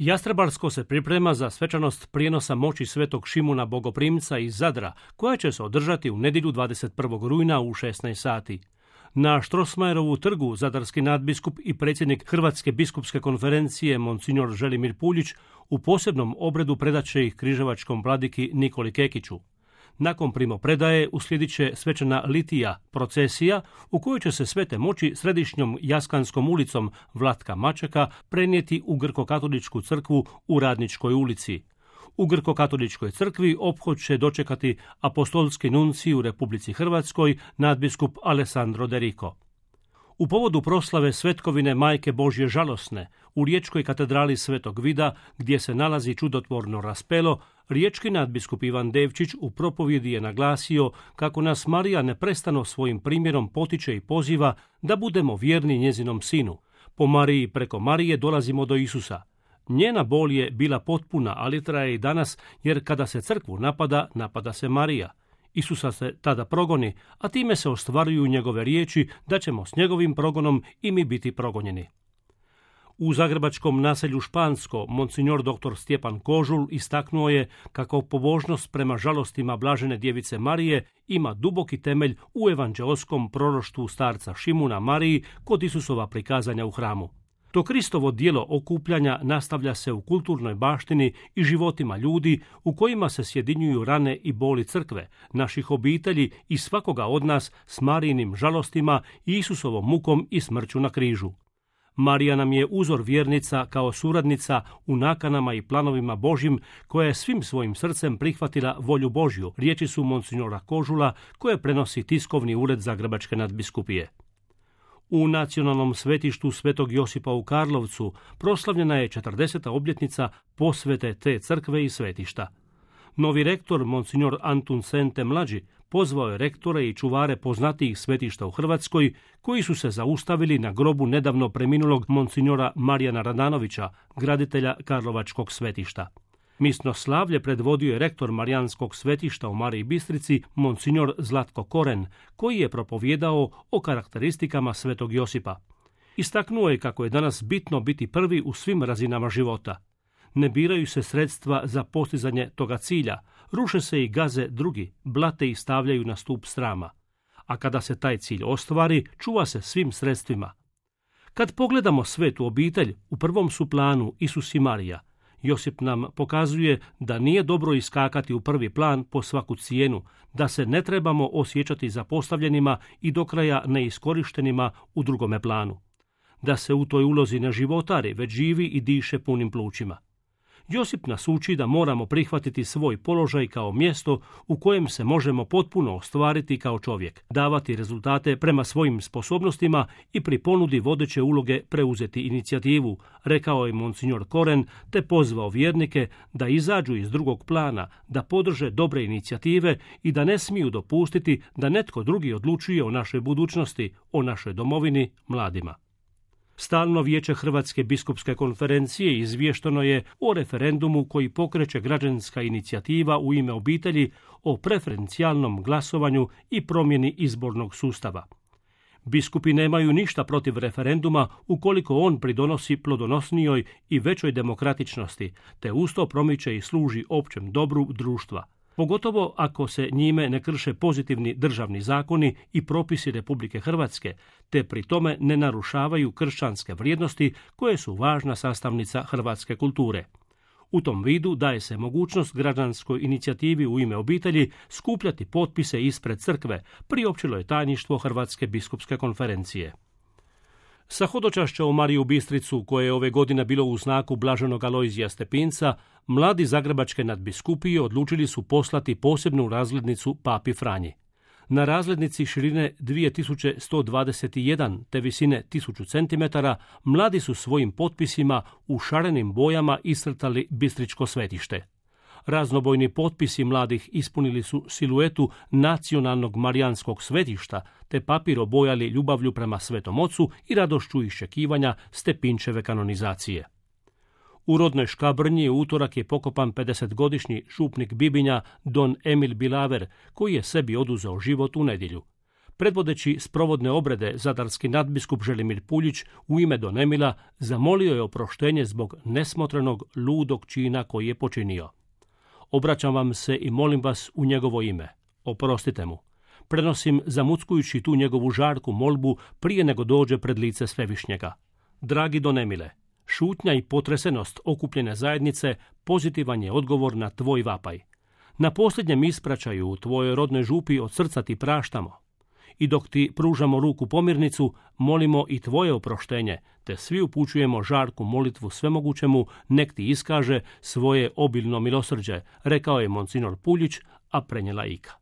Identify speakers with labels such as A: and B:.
A: Jastrebarsko se priprema za svečanost prijenosa moći Svetog Šimuna Bogoprimca iz Zadra, koja će se održati u nedjelju 21. rujna u 16 sati. Na Štrosmajerovu trgu zadarski nadbiskup i predsjednik Hrvatske biskupske konferencije Monsignor Želimir Puljić u posebnom obredu predat će ih križevačkom vladiki Nikoli Kekiću. Nakon primopredaje uslijedit će svečana litija, procesija, u kojoj će se svete moći središnjom Jaskanskom ulicom Vlatka Mačeka prenijeti u Grko-katoličku crkvu u Radničkoj ulici. U Grko-katoličkoj crkvi ophod će dočekati apostolski nuncij u Republici Hrvatskoj, nadbiskup Alessandro De Rico. U povodu proslave svetkovine Majke Božje žalosne u Riječkoj katedrali Svetog Vida, gdje se nalazi čudotvorno raspelo, riječki nadbiskup Ivan Devčić u propovjedi je naglasio kako nas Marija neprestano svojim primjerom potiče i poziva da budemo vjerni njezinom sinu. Po Mariji preko Marije dolazimo do Isusa. Njena bol je bila potpuna, ali traje i danas, jer kada se crkvu napada, napada se Marija. Isusa se tada progoni, a time se ostvaruju njegove riječi da ćemo s njegovim progonom i mi biti progonjeni. U zagrebačkom naselju Špansko Monsignor dr. Stjepan Kožul istaknuo je kako pobožnost prema žalostima Blažene djevice Marije ima duboki temelj u evanđeoskom proroštvu starca Šimuna Mariji kod Isusova prikazanja u hramu. To Kristovo djelo okupljanja nastavlja se u kulturnoj baštini i životima ljudi u kojima se sjedinjuju rane i boli crkve, naših obitelji i svakoga od nas s Marijinim žalostima i Isusovom mukom i smrću na križu. Marija nam je uzor vjernica kao suradnica u nakanama i planovima Božjim, koja je svim svojim srcem prihvatila volju Božju, riječi su Monsignora Kožula koje prenosi tiskovni ured Zagrebačke nadbiskupije. U nacionalnom svetištu Svetog Josipa u Karlovcu proslavljena je 40. obljetnica posvete te crkve i svetišta. Novi rektor, Monsignor Antun Sente mlađi, pozvao je rektore i čuvare poznatijih svetišta u Hrvatskoj, koji su se zaustavili na grobu nedavno preminulog Monsignora Marijana Radanovića, graditelja Karlovačkog svetišta. Misno slavlje predvodio je rektor Marijanskog svetišta u Mariji Bistrici, Monsignor Zlatko Koren, koji je propovijedao o karakteristikama Svetog Josipa. Istaknuo je kako je danas bitno biti prvi u svim razinama života. Ne biraju se sredstva za postizanje toga cilja, ruše se i gaze drugi, blate i stavljaju na stup srama. A kada se taj cilj ostvari, čuva se svim sredstvima. Kad pogledamo svetu obitelj, u prvom su planu Isus i Marija. Josip nam pokazuje da nije dobro iskakati u prvi plan po svaku cijenu, da se ne trebamo osjećati zapostavljenima i do kraja neiskorištenima u drugome planu. Da se u toj ulozi ne životari, već živi i diše punim plućima. Josip nas uči da moramo prihvatiti svoj položaj kao mjesto u kojem se možemo potpuno ostvariti kao čovjek, davati rezultate prema svojim sposobnostima i pri ponudi vodeće uloge preuzeti inicijativu, rekao je Monsignor Koren, te pozvao vjernike da izađu iz drugog plana, da podrže dobre inicijative i da ne smiju dopustiti da netko drugi odlučuje o našoj budućnosti, o našoj domovini, mladima. Stalno vijeće Hrvatske biskupske konferencije izvješteno je o referendumu koji pokreće građanska inicijativa u ime obitelji o preferencijalnom glasovanju i promjeni izbornog sustava. Biskupi nemaju ništa protiv referenduma ukoliko on pridonosi plodonosnijoj i većoj demokratičnosti, te usto promiče i služi općem dobru društva. Pogotovo ako se njime ne krše pozitivni državni zakoni i propisi Republike Hrvatske, te pri tome ne narušavaju kršćanske vrijednosti koje su važna sastavnica hrvatske kulture. U tom vidu daje se mogućnost građanskoj inicijativi u ime obitelji skupljati potpise ispred crkve, priopćilo je tajništvo Hrvatske biskupske konferencije. Sa hodočašća u Mariju Bistricu, koje je ove godine bilo u znaku Blaženog Alojzija Stepinca, mladi zagrebačke nadbiskupije odlučili su poslati posebnu razglednicu Papi Franji. Na razglednici širine 2121 te visine 1000 cm mladi su svojim potpisima u šarenim bojama iscrtali Bistričko svetište. Raznobojni potpisi mladih ispunili su siluetu nacionalnog marijanskog svetišta, te papir obojali ljubavlju prema Svetom Ocu i radošću iščekivanja Stepinčeve kanonizacije. U rodnoj Škabrnji u utorak je pokopan 50-godišnji župnik Bibinja Don Emil Bilaver, koji je sebi oduzeo život u nedjelju. Predvodeći sprovodne obrede, zadarski nadbiskup Želimir Puljić u ime Don Emila zamolio je oproštenje zbog nesmotrenog, ludog čina koji je počinio. Obraćam vam se i molim vas u njegovo ime. Oprostite mu. Prenosim zamuckujući tu njegovu žarku molbu prije nego dođe pred lice Svevišnjega. Dragi Don Emile, šutnja i potresenost okupljene zajednice pozitivan je odgovor na tvoj vapaj. Na posljednjem ispraćaju u tvojoj rodnoj župi od srca ti praštamo. I dok ti pružamo ruku pomirnicu, molimo i tvoje oproštenje, te svi upućujemo žarku molitvu svemogućemu, nek ti iskaže svoje obilno milosrđe, rekao je monsignor Puljić, a prenijela Ika.